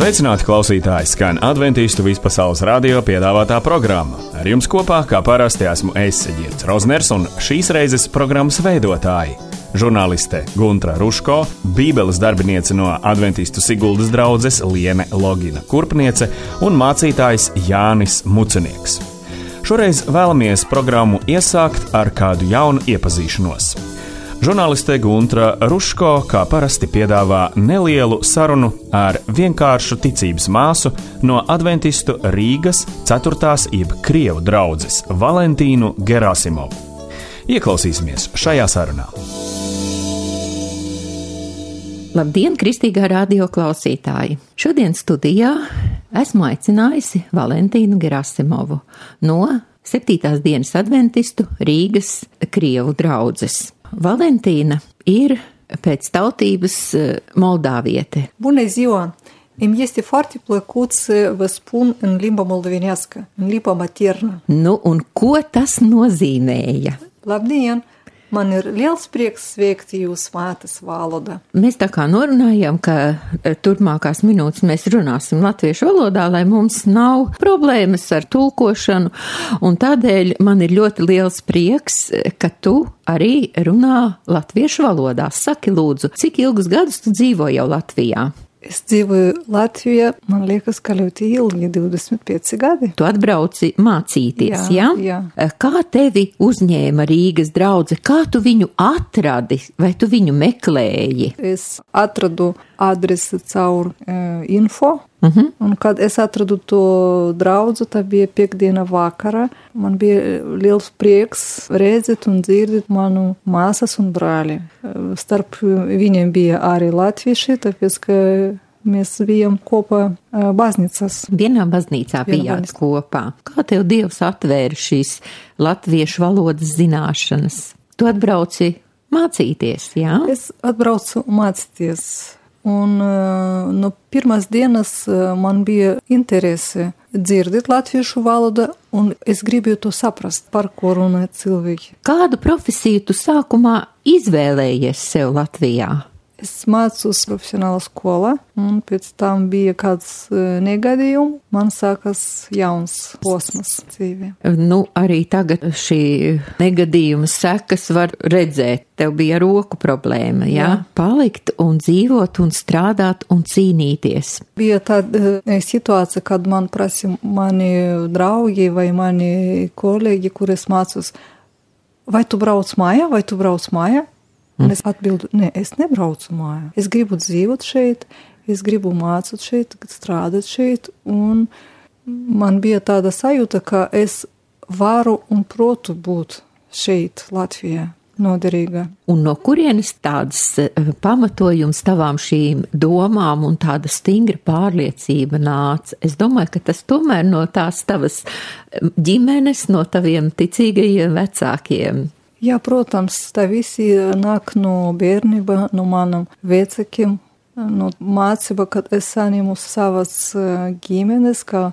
Sveicināti klausītāji, skan Adventistu vispasaules radio piedāvātā programma. Ar jums kopā, kā parasti, esmu es, Girts Rozners, un šīs reizes programmas veidotāji. Žurnāliste Guntra Ruško, bībeles darbiniece no Adventistu Siguldas draudzes Liene Logina Kurpniece un mācītājs Jānis Mucenieks. Šoreiz vēlamies programmu iesākt ar kādu jaunu iepazīšanos. Žurnāliste Guntra Ruško, kā parasti, piedāvā nelielu sarunu ar vienkāršu ticības māsu no Adventistu Rīgas 4. jeb Krievu draudzes Valentīnu Gerasimovu. Ieklausīsimies šajā sarunā. Labdien, kristīgā radio klausītāji! Šodien studijā esmu aicinājusi Valentīnu Gerasimovu no 7. dienas Adventistu Rīgas Krievu draudzes. Valentīna ir pēc tautības moldāviete. Bună ziua! Îmi este foarte plăcut să vă spun în limba moldovenească, în limba maternă. Nu, un ko tas nozīmēja? Labdien! Man ir liels prieks sveikt jūs mātes valodā. Mēs tā kā norunājām, ka turpmākās minūtes mēs runāsim latviešu valodā, lai mums nav problēmas ar tulkošanu, un tādēļ man ir ļoti liels prieks, ka tu arī runā latviešu valodā. Saki lūdzu, cik ilgus gadus tu dzīvo jau Latvijā? Es dzīvoju Latvijā, man liekas, ka ļoti ilgi, 25 gadi. Tu atbrauci mācīties, jā? Jā. Kā tevi uzņēma Rīgas draudze? Kā tu viņu atradi? Vai tu viņu meklēji? Es atradu adresi caur info, un kad es atradu to draudzu, tā bija piekdiena vakarā. Man bija liels prieks redzēt un dzirdēt manu māsas un brāli. Starp viņiem bija arī latvieši, tāpēc, ka mēs bijām kopā baznīcas. Vienā baznīcā bijāt kopā. Kā tev Dievs atvēra šīs latviešu valodas zināšanas? Tu atbrauci mācīties, jā? Es atbraucu mācīties. Un no pirmās dienas man bija interese dzirdēt latviešu valodu, un es gribēju to saprast, par ko runā cilvēki. Kādu profesiju tu sākumā izvēlējies sev Latvijā? Es mācos profesionāla skolā, un pēc tam bija kāds negadījums. Man sākas jauns posms dzīvē. Nu, arī tagad šī negadījuma sekas var redzēt. Tev bija roku problēma, jā? Palikt un dzīvot un strādāt un cīnīties. Bija tāda situācija, kad man prasa mani draugi vai mani kolēģi, kur es mācos, vai tu brauc mājā? Un es atbildu, ne, es nebraucu mājā. Es gribu dzīvot šeit, es gribu mācīt šeit, strādāt šeit, un man bija tāda sajūta, ka es varu un protu būt šeit, Latvijā, noderīga. Un no kurienes tādas pamatojums tavām šīm domām un tāda stingra pārliecība nāca? Es domāju, ka tas tomēr no tās tavas ģimenes, no taviem ticīgajiem vecākiem. Jā, protams, tā visi nāk no bērnība, no manam vecākiem, no mācība, kad es saņemu savas ģimenes, ka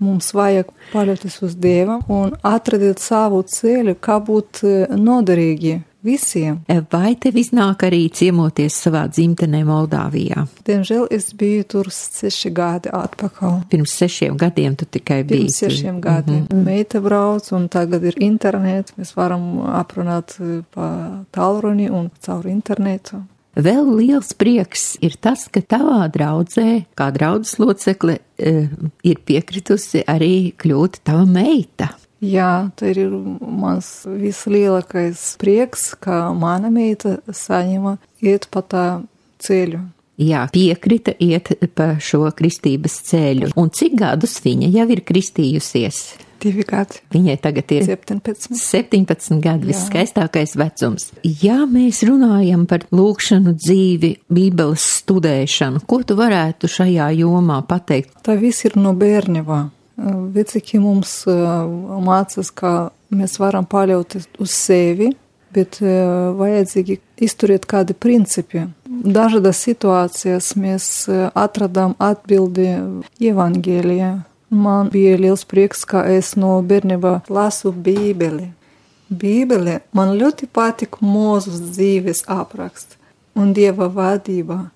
mums vajag paļauties uz Dievu un atradīt savu ceļu, kā būt noderīgi visiem. Vai tev iznāk arī ciemoties savā dzimtenē Moldāvijā? Diemžēl es biju tur 6 gadi atpakaļ. Pirms 6 gadiem tu tikai biji? Pirms 6 gadiem. Meita brauc, un tagad ir internets. Mēs varam aprunāt pa tālruni un caur internetu. Vēl liels prieks ir tas, ka tavā draudzē, kā draudzes locekle, ir piekritusi arī kļūt tava meita. Jā, tā ir mans vislielākais prieks, ka mana meita saņema iet pa tā ceļu. Jā, piekrita iet pa šo kristības ceļu. Un cik gadus viņa jau ir kristījusies? 2 gadi. Viņai tagad ir 17 gadi, viskaistākais vecums. Ja mēs runājam par lūkšanu dzīvi, bībeles studēšanu, ko tu varētu šajā jomā pateikt? Tā viss ir no bērnībā. Vecāki mums mācās, ka mēs varam paļauties uz sevi, bet vajadzīgi izturēt kādi principi. Dažādas situācijas mēs atradām atbildi Evangelijā. Man bija liels prieks, ka es no bērnībā lasu Bībeli. Bībele man ļoti patīk Mūzes dzīves apraksts un Dieva vadība.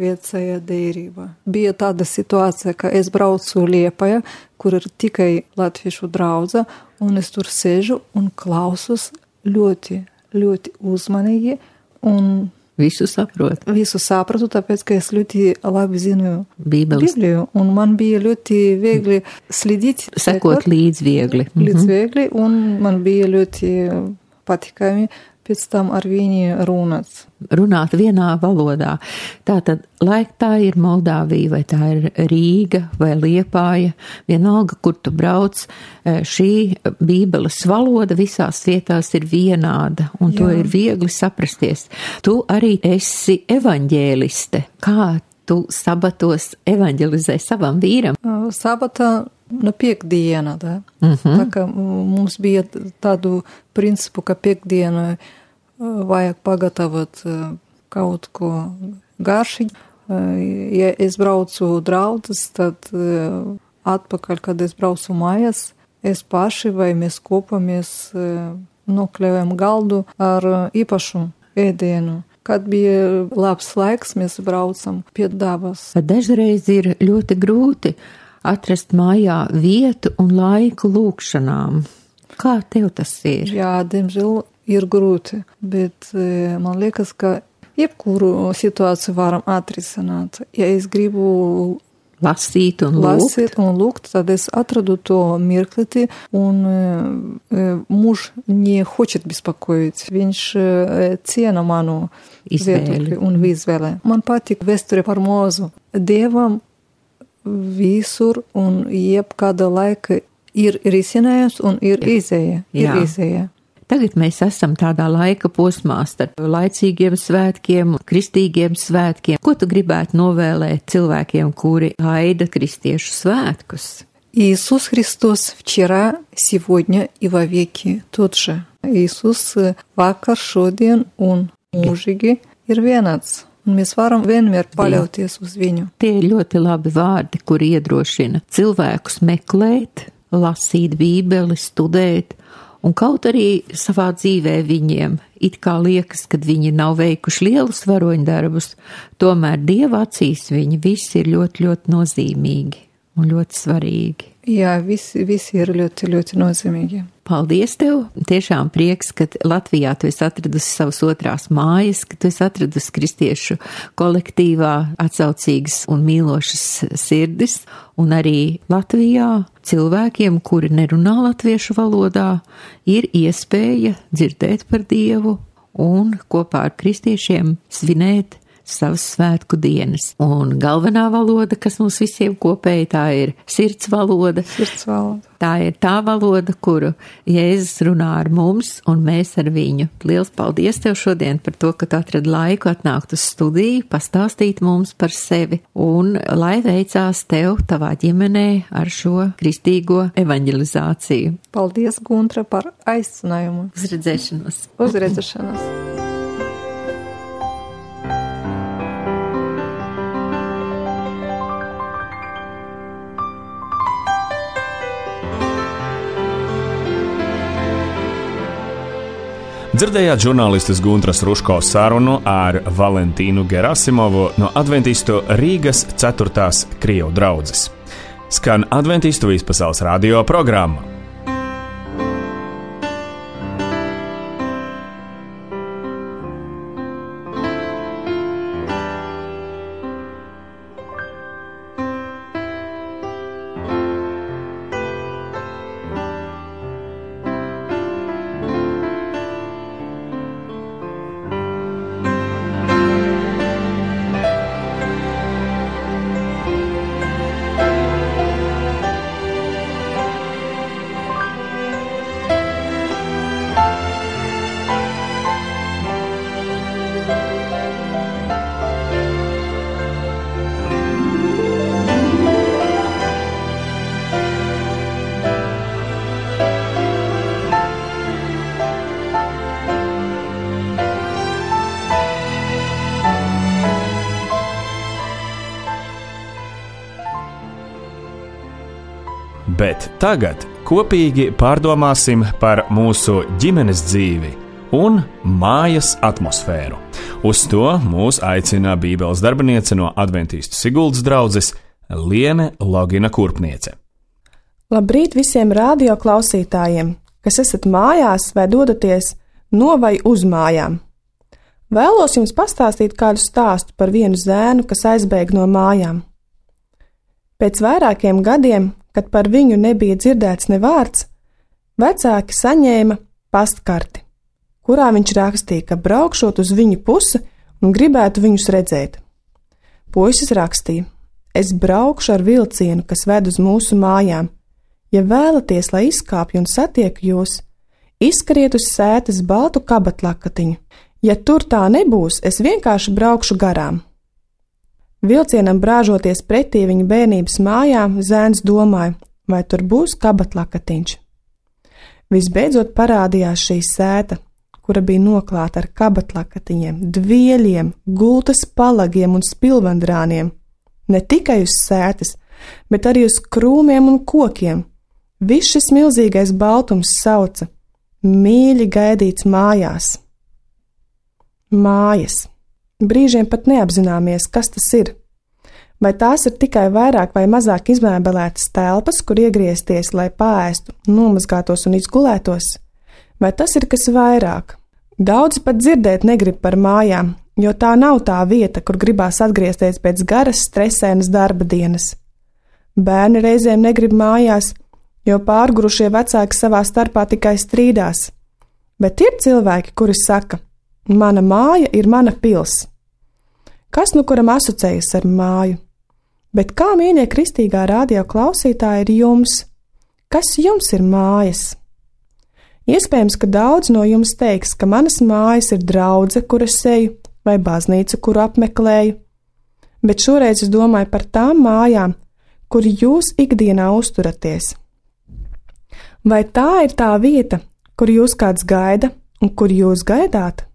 vecajā derībā. Bija tāda situācija, ka es braucu Liepājā, kur ir tikai latviešu draudze, un es tur sēžu un klausos ļoti, ļoti uzmanīgi un visu saprotu. Visu sapratu, tāpēc, ka es ļoti labi zinu Bībeli, un man bija ļoti viegli slidīt. Sekot līdz viegli. Līdz viegli, un man bija ļoti patikami pēc tam ar viņu runāt. Runāt vienā valodā. Tātad, lai tā ir Moldāvija, vai tā ir Rīga vai Liepāja, vienalga, kur tu brauc, šī Bībeles valoda visās vietās ir vienāda, un to ir viegli saprasties. Tu arī esi evaņģēliste. Kā tu sabatos evaņģelizē savam vīram? Sabatā no piekdiena, da? Tā kā mums bija tādu principu, ka piekdienu vajag pagatavot kaut ko garšīgi. Ja es braucu draudzes, tad atpakaļ, kad es braucu mājās, es paši vai mēs kopamies nokļāvām galdu ar īpašu ēdienu. Kad bija labs laiks, mēs braucam pie dabas. Dažreiz ir ļoti grūti atrast mājā vietu un laiku lūkšanām. Kā tev tas ir? Jā, diemžēl ir grūti, bet man liekas, ka jebkuru situāciju varam atrisināt. Ja es gribu lasīt un lūgt, tad es atradu to mirkliti, un muž не хочет беспокоить. Viņš ciena manu viedokli un izvēli. Man patīk vēsture par Mūzu. Dievam visur un jebkāda laika ir risinājums un ir izēja. Tagad mēs esam tādā laika posmā starp laicīgiem svētkiem, kristīgiem svētkiem. Ko tu gribētu novēlēt cilvēkiem, kuri gaida kristiešu svētkus? Иисус Христос вчера, сегодня и вовеки тот же. Иисус vakar, šodien un mūžīgi ir vienāds. Un mēs varam vienmēr paļauties uz viņu. Tie ir ļoti labi vārdi, kuri iedrošina cilvēkus meklēt, lasīt Bībeli, studēt. Un kaut arī savā dzīvē viņiem it kā liekas, kad viņi nav veikuši lielus varoņdarbus, tomēr Dieva acīs viņi visi ir ļoti, ļoti nozīmīgi un ļoti svarīgi. Jā, visi ir ļoti, ļoti nozīmīgi. Paldies tev! Tiešām prieks, ka Latvijā tu esi atradusi savas otrās mājas, ka tu esi atradusi kristiešu kolektīvā atsaucīgas un mīlošas sirdis, un arī Latvijā cilvēkiem, kuri nerunā latviešu valodā, ir iespēja dzirdēt par Dievu un kopā ar kristiešiem svinēt savas svētku dienas. Un galvenā valoda, kas mums visiem kopēji, tā ir sirds valoda. Tā ir tā valoda, kuru Jēzus runā ar mums un mēs ar viņu. Liels paldies tev šodien par to, ka tu atradi laiku atnākt uz studiju, pastāstīt mums par sevi un lai veicās tev tavā ģimenē ar šo kristīgo evaņģelizāciju. Paldies, Guntra, par aicinājumu. Uz redzēšanos. Uz redzēšanos. Dzirdējāt žurnālistes Guntras Ruško sarunu ar Valentīnu Gerasimovu no Adventistu Rīgas 4. Krievu draudzes. Skan Adventistu Vispasaules radio programma. Bet tagad kopīgi pārdomāsim par mūsu ģimenes dzīvi un mājas atmosfēru. Uz to mūs aicina Bībeles darbiniece no Adventistu Siguldas draudzes Liene Logina Kurpniece. Labrīt visiem radio klausītājiem, kas esat mājās vai dodaties no vai uz mājām. Vēlos jums pastāstīt kādu stāstu par vienu zēnu, kas aizbēga no mājām. Pēc vairākiem gadiem, kad par viņu nebija dzirdēts ne vārds, vecāki saņēma pastkarti, kurā viņš rakstīja, ka braukšot uz viņu pusi un gribētu viņus redzēt. Puisis rakstīja: es braukšu ar vilcienu, kas ved uz mūsu mājām. Ja vēlaties, lai izkāpju un satieku jūs, izskariet uz sētas baltu kabatlakatiņu. Ja tur tā nebūs, es vienkārši braukšu garām. Vilcienam brāžoties pretī viņa bērnības mājām, zēns domāja, vai tur būs kabatlakatiņš. Visbeidzot parādījās šī sēta, kura bija noklāta ar kabatlakatiņiem, dvieļiem, gultas palagiem un spilvendrāniem. Ne tikai uz sētas, bet arī uz krūmiem un kokiem. Viss šis milzīgais baltums sauca: mīļi gaidīts mājās. Mājas. Brīžiem pat neapzināmies, kas tas ir. Vai tās ir tikai vairāk vai mazāk izmēbelētas telpas, kur iegriezties, lai pāēstu, nomazgātos un izgulētos? Vai tas ir kas vairāk? Daudzi pat dzirdēt negrib par mājām, jo tā nav tā vieta, kur gribās atgriezties pēc garas, stresainas darba dienas. Bērni reizēm negrib mājās, jo pārgurušie vecāki savā starpā tikai strīdās. Bet ir cilvēki, kuri saka: mana māja ir mana pils. Kas nu kuram asociējas ar māju? Bet kā, mīļie kristīgā radio klausītāji, ir jums? Kas jums ir mājas? Iespējams, ka daudz no jums teiks, ka manas mājas ir draudze, kur es eju, vai baznīca, kuru apmeklēju. Bet šoreiz es domāju par tām mājām, kur jūs ikdienā uzturaties. Vai tā ir tā vieta, kur jūs kāds gaida un kur jūs gaidāt?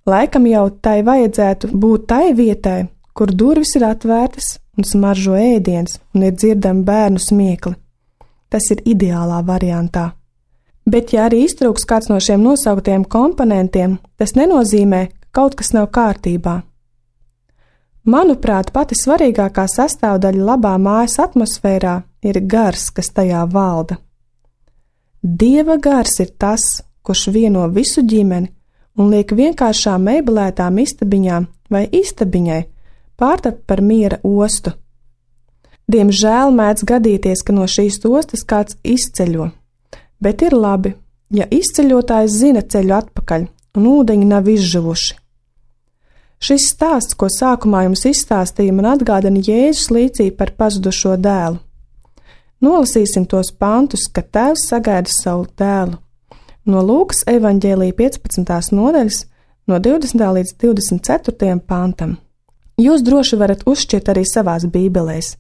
Laikam jau tai vajadzētu būt tai vietai, kur durvis ir atvērtas un smaržo ēdiens un ir dzirdami bērnu smiekli. Tas ir ideālā variantā. Bet ja arī iztrūks kāds no šiem nosauktiem komponentiem, tas nenozīmē, ka kaut kas nav kārtībā. Manuprāt, pati svarīgākā sastāvdaļa labā mājas atmosfērā ir gars, kas tajā valda. Dieva gars ir tas, kurš vieno visu ģimeni un liek vienkāršām meibelētām istabiņām vai istabiņai pārtapt par miera ostu. Diemžēl mēdz gadīties, ka no šīs ostas kāds izceļo, bet ir labi, ja izceļotājs zina ceļu atpakaļ un ūdeņi nav izžuvuši. Šis stāsts, ko sākumā jums izstāstīja, man atgādina Jēzus līdzību par pazudušo dēlu. Nolasīsim tos pantus, ka tēvs sagaida savu dēlu. No Lūkas evaņģēlija 15. nodaļas, no 20. līdz 24. pantam. Jūs droši varat uzšķirt arī savās bībelēs.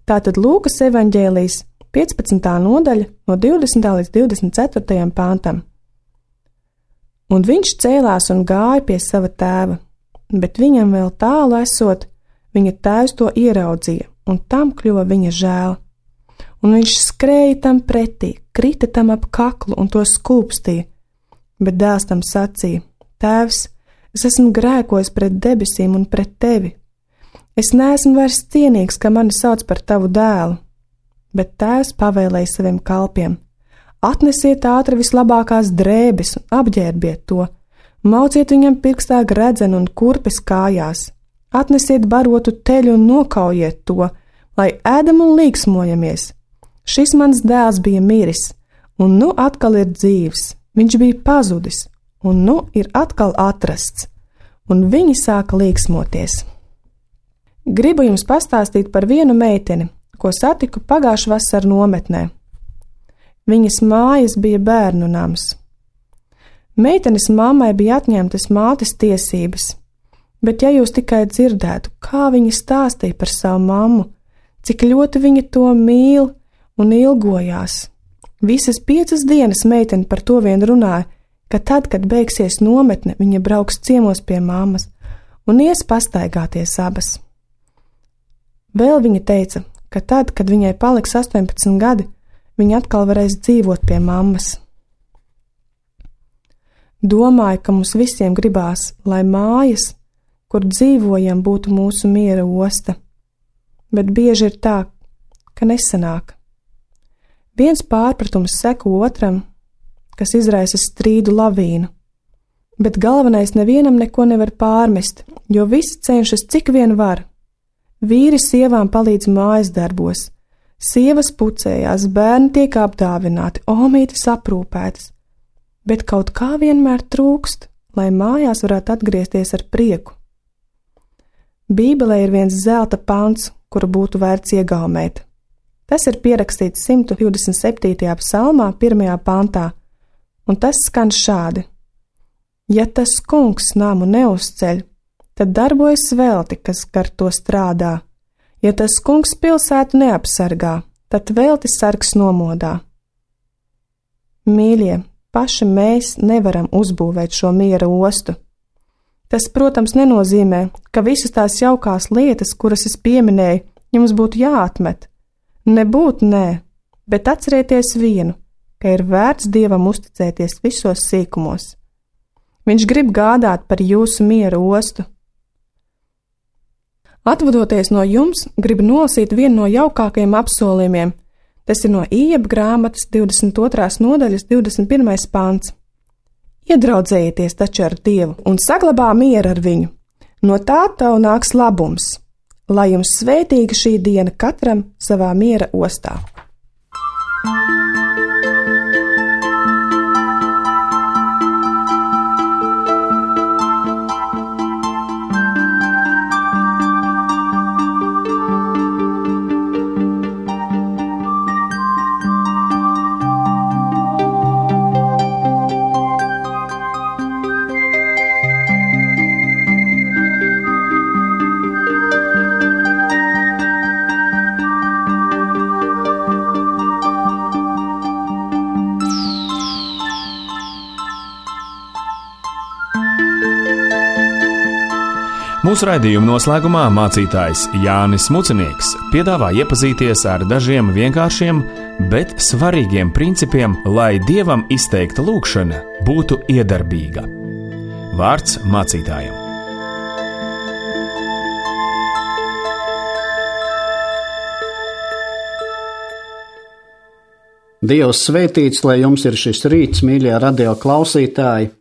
Tātad Lūkas evaņģēlijas 15. nodaļa, no 20. līdz 24. pantam. Un viņš cēlās un gāja pie sava tēva, bet viņam vēl tālu esot, viņa tēvs to ieraudzīja, un tam kļuva viņa žēl. Un viņš skrēja tam pretī, krita tam ap kaklu un to skūpstīja, bet dēls tam sacīja: Tēvs, es esmu grēkojis pret debesīm un pret tevi. Es neesmu vairs cienīgs, ka mani sauc par tavu dēlu. Bet tēvs pavēlēja saviem kalpiem: atnesiet ātri vislabākās drēbes un apģērbiet to, mauciet viņam pirkstā gredzenu un kurpes kājās, atnesiet barotu teļu un nokaujiet to, lai ēdam un līksmojamies. Šis mans dēls bija miris, un nu atkal ir dzīvs, viņš bija pazudis, un nu ir atkal atrasts, un viņi sāka līksmoties. Gribu jums pastāstīt par vienu meiteni, ko satiku pagājušā vasarā nometnē. Viņas mājas bija bērnu nams. Meitenes mammai bija atņemtas mātes tiesības, bet ja jūs tikai dzirdētu, kā viņa stāstīja par savu mammu, cik ļoti viņa to mīl un ilgojās. Visas 5 dienas meitene par to vien runāja, ka tad, kad beigsies nometne, viņa brauks ciemos pie mammas un ies pastaigāties abas. Vēl viņa teica, ka tad, kad viņai paliks 18 gadi, viņa atkal varēs dzīvot pie mammas. Domāju, ka mums visiem gribās, lai mājas, kur dzīvojam, būtu mūsu miera osta, bet bieži ir tā, ka nesanāk. Viens pārpratums seko otram, kas izraisa strīdu lavīnu, bet galvenais nevienam neko nevar pārmest, jo visi cenšas cik vien var. Vīri sievām palīdz mājas darbos, sievas pucējās, bērni tiek apdāvināti, omītes aprūpētas, bet kaut kā vienmēr trūkst, lai mājās varētu atgriezties ar prieku. Bībelē ir viens zelta pants, kuru būtu vērts iegaumēt. Tas ir pierakstīts 127. psalmā, 1. pantā, un tas skan šādi: Ja tas kungs namu neuzceļ, tad darbojas velti, kas gar to strādā. Ja tas kungs pilsētu neapsargā, tad velti sargs nomodā. Mīļie, paši mēs nevaram uzbūvēt šo miera ostu. Tas, protams, nenozīmē, ka visas tās jaukās lietas, kuras es pieminēju, jums būtu jāatmet. Nebūt nē, bet atcerieties vienu, ka ir vērts Dievam uzticēties visos sīkumos. Viņš grib gādāt par jūsu miera ostu. Atvadoties no jums, gribu nolasīt vienu no jaukākajiem apsolījumiem. Tas ir no Ījeba grāmatas 22. nodaļas 21. pants. Iedraudzējieties taču ar Dievu un saglabā mieru ar viņu. No tā tev nāks labums, lai jums svētīga šī diena katram savā miera ostā. Mūsu raidījuma noslēgumā mācītājs Jānis Mucinieks piedāvā iepazīties ar dažiem vienkāršiem, bet svarīgiem principiem, lai Dievam izteikta lūgšana būtu iedarbīga. Vārds mācītājam. Dievs svētīts, lai jums ir šis rīts, mīļie radio klausītāji.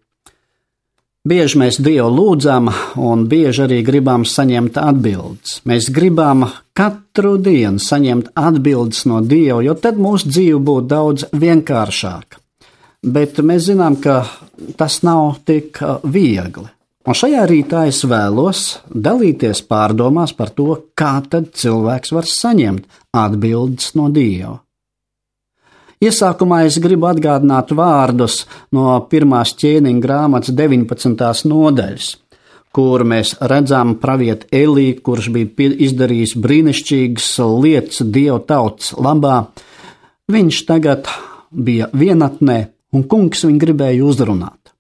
Bieži mēs Dievu lūdzam, un bieži arī gribam saņemt atbildes. Mēs gribam katru dienu saņemt atbildes no Dieva, jo tad mūsu dzīve būtu daudz vienkāršāka. Bet mēs zinām, ka tas nav tik viegli. Un šajā rītā es vēlos dalīties pārdomās par to, kā tad cilvēks var saņemt atbildes no Dieva. Iesākumā es gribu atgādināt vārdus no 1. ķēniņa grāmatas 19. nodaļas, kur mēs redzam pravieti Eliju, kurš bija izdarījis brīnišķīgas lietas Dieva tautas labā. Viņš tagad bija vienatnē, un kungs viņu gribēja uzrunāt.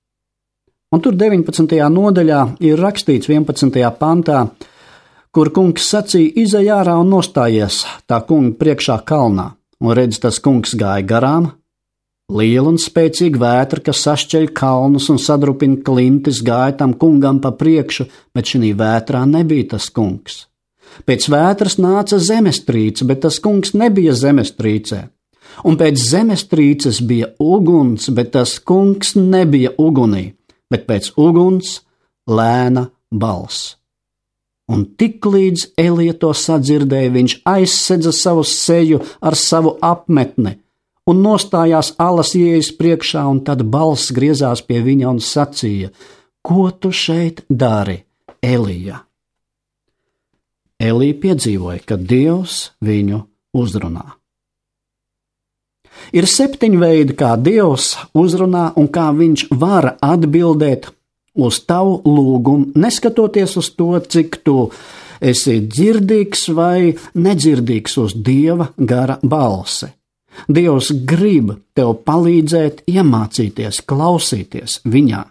Un tur 19. nodaļā ir rakstīts 11. pantā, kur kungs sacīja: izej ārā un nostājies tā kunga priekšā kalnā. Un redz, tas kungs gāja garām, liela un spēcīga vētra, kas sašķeļ kalnus un sadrupina klintis, gāja tam kungam pa priekšu, bet šī vētrā nebija tas kungs. Pēc vētras nāca zemestrīce, bet tas kungs nebija zemestrīcē. Un pēc zemestrīces bija uguns, bet tas kungs nebija ugunī, bet pēc uguns lēna balss. Un tiklīdz Elija to sadzirdēja, viņš aizsedza savu seju ar savu apmetni un nostājās alas ieejas priekšā, un tad balss griezās pie viņa un sacīja: ko tu šeit dari, Elija? Elija piedzīvoja, ka Dievs viņu uzrunā. Ir 7 veidi, kā Dievs uzrunā un kā viņš var atbildēt uz tavu lūgumu, neskatoties uz to, cik tu esi dzirdīgs vai nedzirdīgs uz Dieva gara balsi. Dievs grib tev palīdzēt iemācīties, klausīties viņā.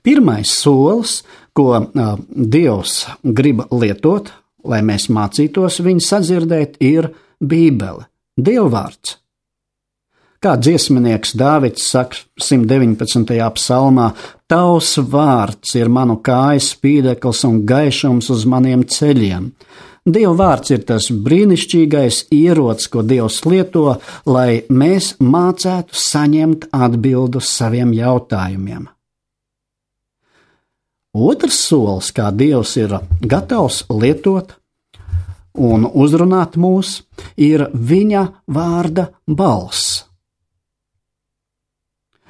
Pirmais solis, ko Dievs grib lietot, lai mēs mācītos viņu sadzirdēt, ir Bībele, Dievvvārds. Kā dziesminieks Dāvids saka 119. psalmā, Tavs vārds ir manu kāju spīdeklis un gaišums uz maniem ceļiem. Dieva vārds ir tas brīnišķīgais ierocis, ko Dievs lieto, lai mēs mācētu saņemt atbildu saviem jautājumiem. Otrs solis, kā Dievs ir gatavs lietot un uzrunāt mūs, ir viņa vārda balss.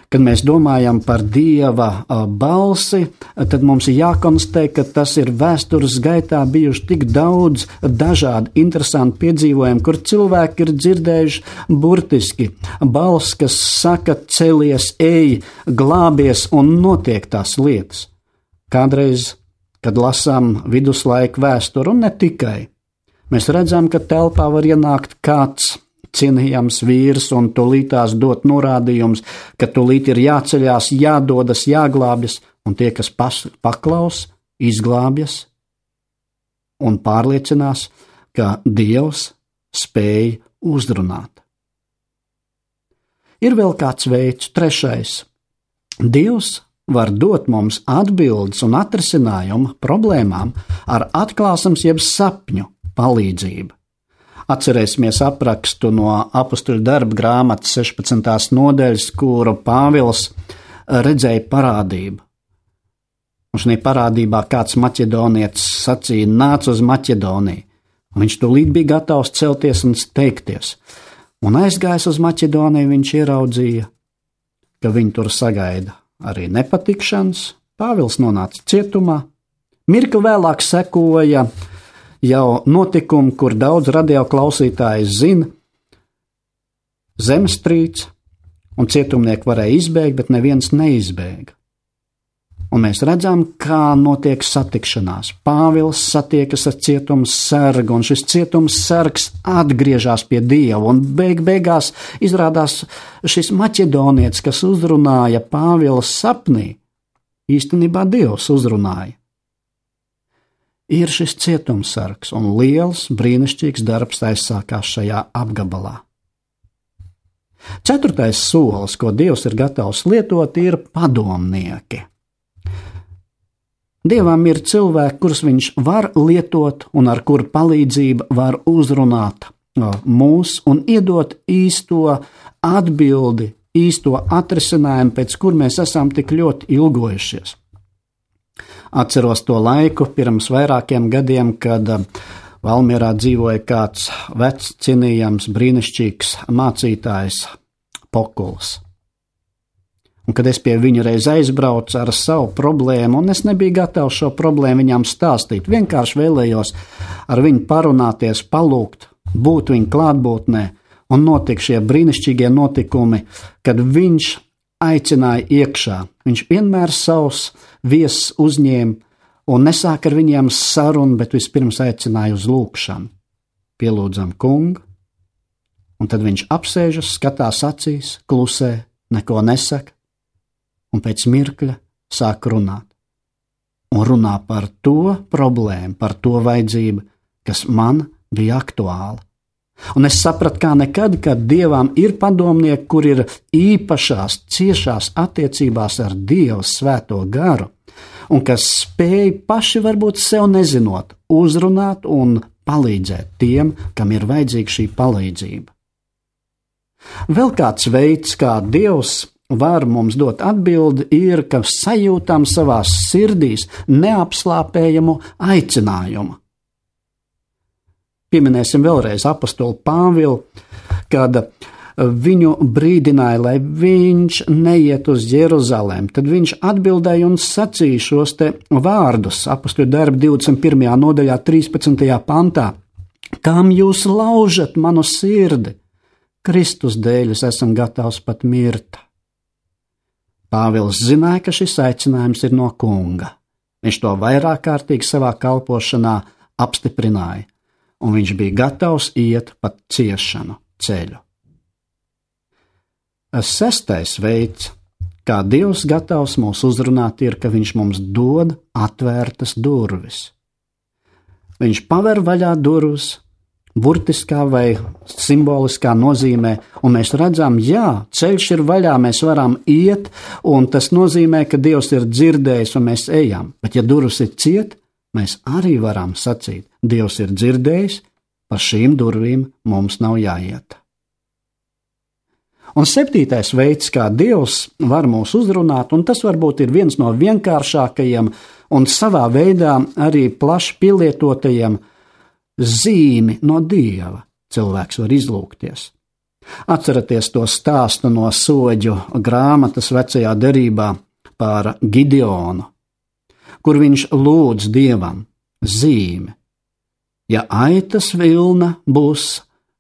Kad mēs domājam par Dieva balsi, tad mums ir jākonstatē, ka tas ir vēstures gaitā bijuši tik daudz dažādi interesanti piedzīvojumi, kur cilvēki ir dzirdējuši burtiski balss, kas saka celies, ej, glābies un notiek tās lietas. Kādreiz, kad lasām viduslaiku vēsturi un ne tikai, mēs redzam, ka telpā var ienākt kāds cienījams vīrs un tūlītās dot norādījums, ka tūlīt ir jāceļās, jādodas, jāglābjas, un tie, kas paklaus, izglābjas un pārliecinās, ka Dievs spēj uzrunāt. Ir vēl kāds veids, trešais. Dievs var dot mums atbildes un atrisinājumu problēmām ar atklāsmes jeb sapņu palīdzību. Atcerēsimies aprakstu no Apostuļu darba grāmatas 16. nodaļas, kuru Pāvils redzēja parādību. Un šajā parādībā kāds maķedonietis sacīja, nāc uz Maķedoniju. Un viņš tūlīt bija gatavs celties un steigties. Un aizgājis uz Maķedoniju, viņš ieraudzīja, ka viņu tur sagaida arī nepatikšanas. Pāvils nonāca cietumā. Mirkli vēlāk sekoja jau notikumi, kur daudz radioklausītāji zina, zemestrīce, un cietumnieki varēja izbēgt, bet neviens neizbēga. Un mēs redzam, kā notiek satikšanās. Pāvils satiekas ar cietums sargu, un šis cietums sargs atgriežas pie Dieva, un beigās izrādās šis maķedonietis, kas uzrunāja Pāvila sapnī, īstenībā Dievs uzrunāja. Ir šis cietumsargs, un liels, brīnišķīgs darbs aizsākās šajā apgabalā. Ceturtais solis, ko Dievs ir gatavs lietot, ir padomnieki. Dievam ir cilvēki, kurus viņš var lietot un ar kuru palīdzību var uzrunāt mūs un iedot īsto atbildi, īsto atrisinājumu, pēc kur mēs esam tik ļoti ilgojušies. Atceros to laiku pirms vairākiem gadiem, kad Valmierā dzīvoja kāds vecs, cienījams, brīnišķīgs mācītājs Pokuls. Un kad es pie viņa reiz aizbraucu ar savu problēmu, un es nebiju gatavs šo problēmu viņam stāstīt, vienkārši vēlējos ar viņu parunāties, palūgt, būt viņa klātbūtnē, un notika šie brīnišķīgie notikumi, kad viņš aicināja iekšā. Viņš vienmēr savus viesus uzņēma un nesāk ar viņiem sarunu, bet vispirms aicināja uz lūgšanu. Pielūdzam kungu, un tad viņš apsēžas, skatās acīs, klusē, neko nesaka, un pēc mirkļa sāk runāt. Un runā par to problēmu, par to vajadzību, kas man bija aktuāla. Un es sapratu, kā nekad, ka Dievam ir padomnieki, kur ir īpašās, ciešās attiecībās ar Dievu svēto garu, un kas spēj paši varbūt sev nezinot, uzrunāt un palīdzēt tiem, kam ir vajadzīga šī palīdzība. Vēl kāds veids, kā Dievs var mums dot atbildi, ir, ka sajūtam savās sirdīs neapslāpējamu aicinājumu. Pieminēsim vēlreiz apostolu Pāvilu, kad viņu brīdināja, lai viņš neiet uz Jeruzalem. Tad viņš atbildēja un sacīja šos te vārdus, Apostļu darbu 21. nodaļā 13. pantā. Kam jūs laužat manu sirdi? Kristus dēļ es esmu gatavs pat mirt. Pāvils zināja, ka šis aicinājums ir no kunga. Viņš to vairāk kārtīgi savā kalpošanā apstiprināja. Un viņš bija gatavs iet pat ciešanu ceļu. Sestais veids, kā Dievs gatavs mūs uzrunāt, ir, ka viņš mums dod atvērtas durvis. Viņš paver vaļā durvis, burtiskā vai simboliskā nozīmē, un mēs redzam, jā, ceļš ir vaļā, mēs varam iet, un tas nozīmē, ka Dievs ir dzirdējis, un mēs ejam. Bet ja durvis ir ciet, mēs arī varam sacīt, Dievs ir dzirdējis, pa šīm durvīm mums nav jāiet. Un 7. veids, kā Dievs var mūs uzrunāt, un tas varbūt ir viens no vienkāršākajiem un savā veidā arī plaši pielietotajiem, zīmi no Dieva cilvēks var izlūgties. Atceraties to stāstu no Soģu grāmatas vecajā derībā par Gideonu, kur viņš lūdz Dievam zīmi. Ja aitas vilna būs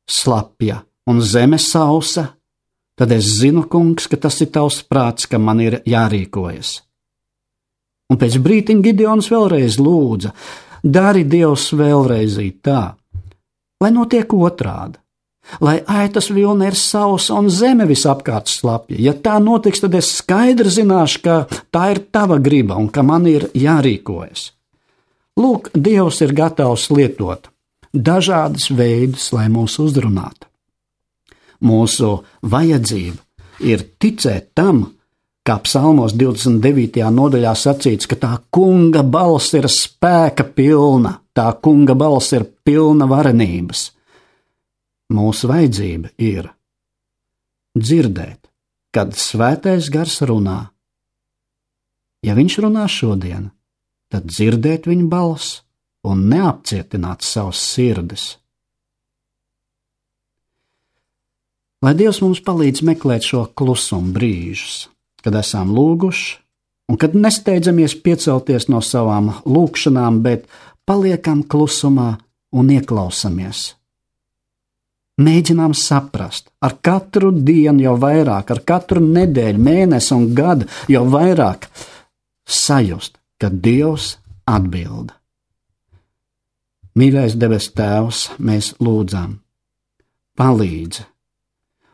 slapja un zeme sausa, tad es zinu, kungs, ka tas ir tavs prāts, ka man ir jārīkojas. Un pēc brītiņa Gideons vēlreiz lūdza, dari Dievs vēlreiz tā, lai notiek otrādi, lai aitas vilna ir sausa un zeme visapkārt slapja. Ja tā notiks, tad es skaidri zināšu, ka tā ir tava griba un ka man ir jārīkojas. Lūk, Dievs ir gatavs lietot dažādas veidus, lai mūs uzrunātu. Mūsu vajadzība ir ticēt tam, kā psalmos 29. nodaļā sacīts, ka tā kunga balss ir spēka pilna, tā kunga balss ir pilna varenības. Mūsu vajadzība ir dzirdēt, kad svētais gars runā. Ja viņš runā šodien, tad dzirdēt viņa balss un neapcietināt savas sirdis. Lai Dievs mums palīdz meklēt šo klusumu brīžus, kad esam lūguši, un kad nesteidzamies piecelties no savām lūgšanām, bet paliekam klusumā un ieklausamies. Mēģinām saprast, ar katru dienu jau vairāk, ar katru nedēļu, mēnesi un gadu jau vairāk sajust, ka Dievs atbild. Mīļais debes Tēvs, mēs lūdzam, palīdzi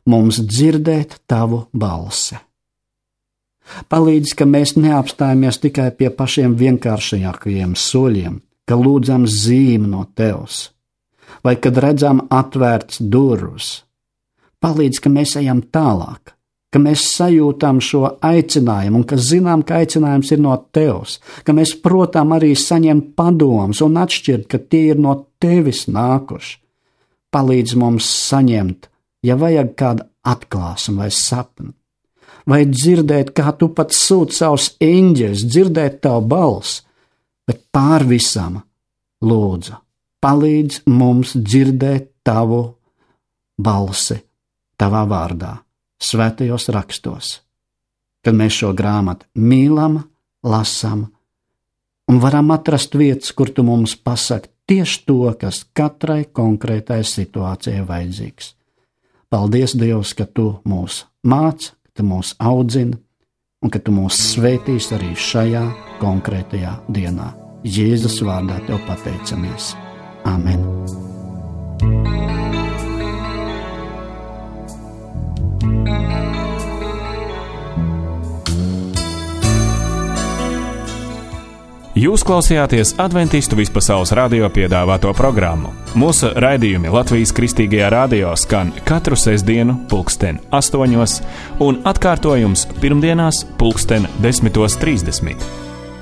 mums dzirdēt tavu balsi. Palīdzi, ka mēs neapstājamies tikai pie pašiem vienkāršākajiem soļiem, ka lūdzam zīmi no Tevs, vai kad redzam atvērts durvis. Palīdzi, ka mēs ejam tālāk, ka mēs sajūtam šo aicinājumu un ka zinām, ka aicinājums ir no Tevs, ka mēs, protams, arī saņemt padomus un atšķirt, ka tie ir no Tevis nākuši. Palīdzi mums saņemt, ja vajag kādu atklāsmu vai sapni, vai dzirdēt, kā tu pat sūti savus eņģeļus, dzirdēt tavu balsi, bet pār visam lūdzu, palīdz mums dzirdēt tavu balsi, tavā vārdā, svētajos rakstos, kad mēs šo grāmatu mīlam, lasam un varam atrast vietas, kur tu mums pasaki tieši to, kas katrai konkrētai situācijai vajadzīgs. Paldies, Dievs, ka tu mūs māci, ka tu mūs audzini un ka tu mūs svētīs arī šajā konkrētajā dienā. Jēzus vārdā tev pateicamies. Amen. Jūs klausījāties Adventistu vispasaules radio piedāvāto programmu. Mūsu raidījumi Latvijas Kristīgajā radio skan katru sestdienu 8:00 un atkārtojums pirmdienās 10:30.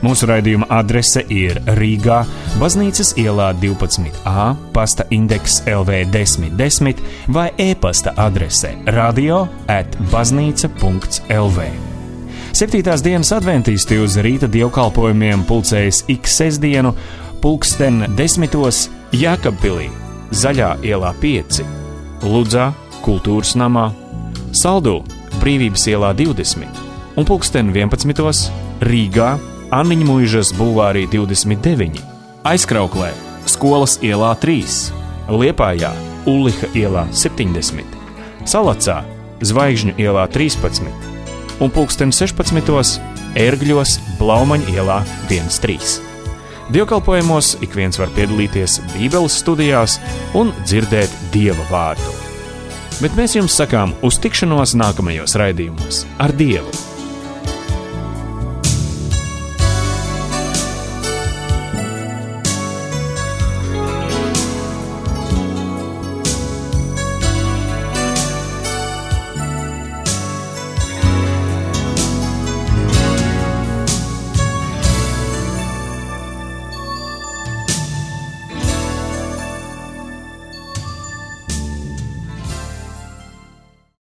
Mūsu raidījuma adrese ir Rīgā, Baznīcas ielā 12A, pasta indeks LV 1010 vai e-pasta adrese radio@baznīca.lv. 7. dienas adventisti uz rīta dievkalpojumiem pulcējas ik sestdienu 10:10 Jēkabpilī, Zaļā ielā 5, Ludzā, Kultūras namā, Saldū, Brīvības ielā 20 un 11:00 Rīgā, Anniņa Muižas bulvārī 29, Aizkrauklē, Skolas ielā 3, Liepājā, Ulliha ielā 70, Salacā, Zvaigžņu ielā 13 un 16:00 Ērgļos, Blaumaņa ielā 13. Dievkalpojumos ik viens var piedalīties Bībeles studijās un dzirdēt Dieva vārdu. Bet mēs jums sakām uz tikšanos nākamajos raidījumos ar Dievu!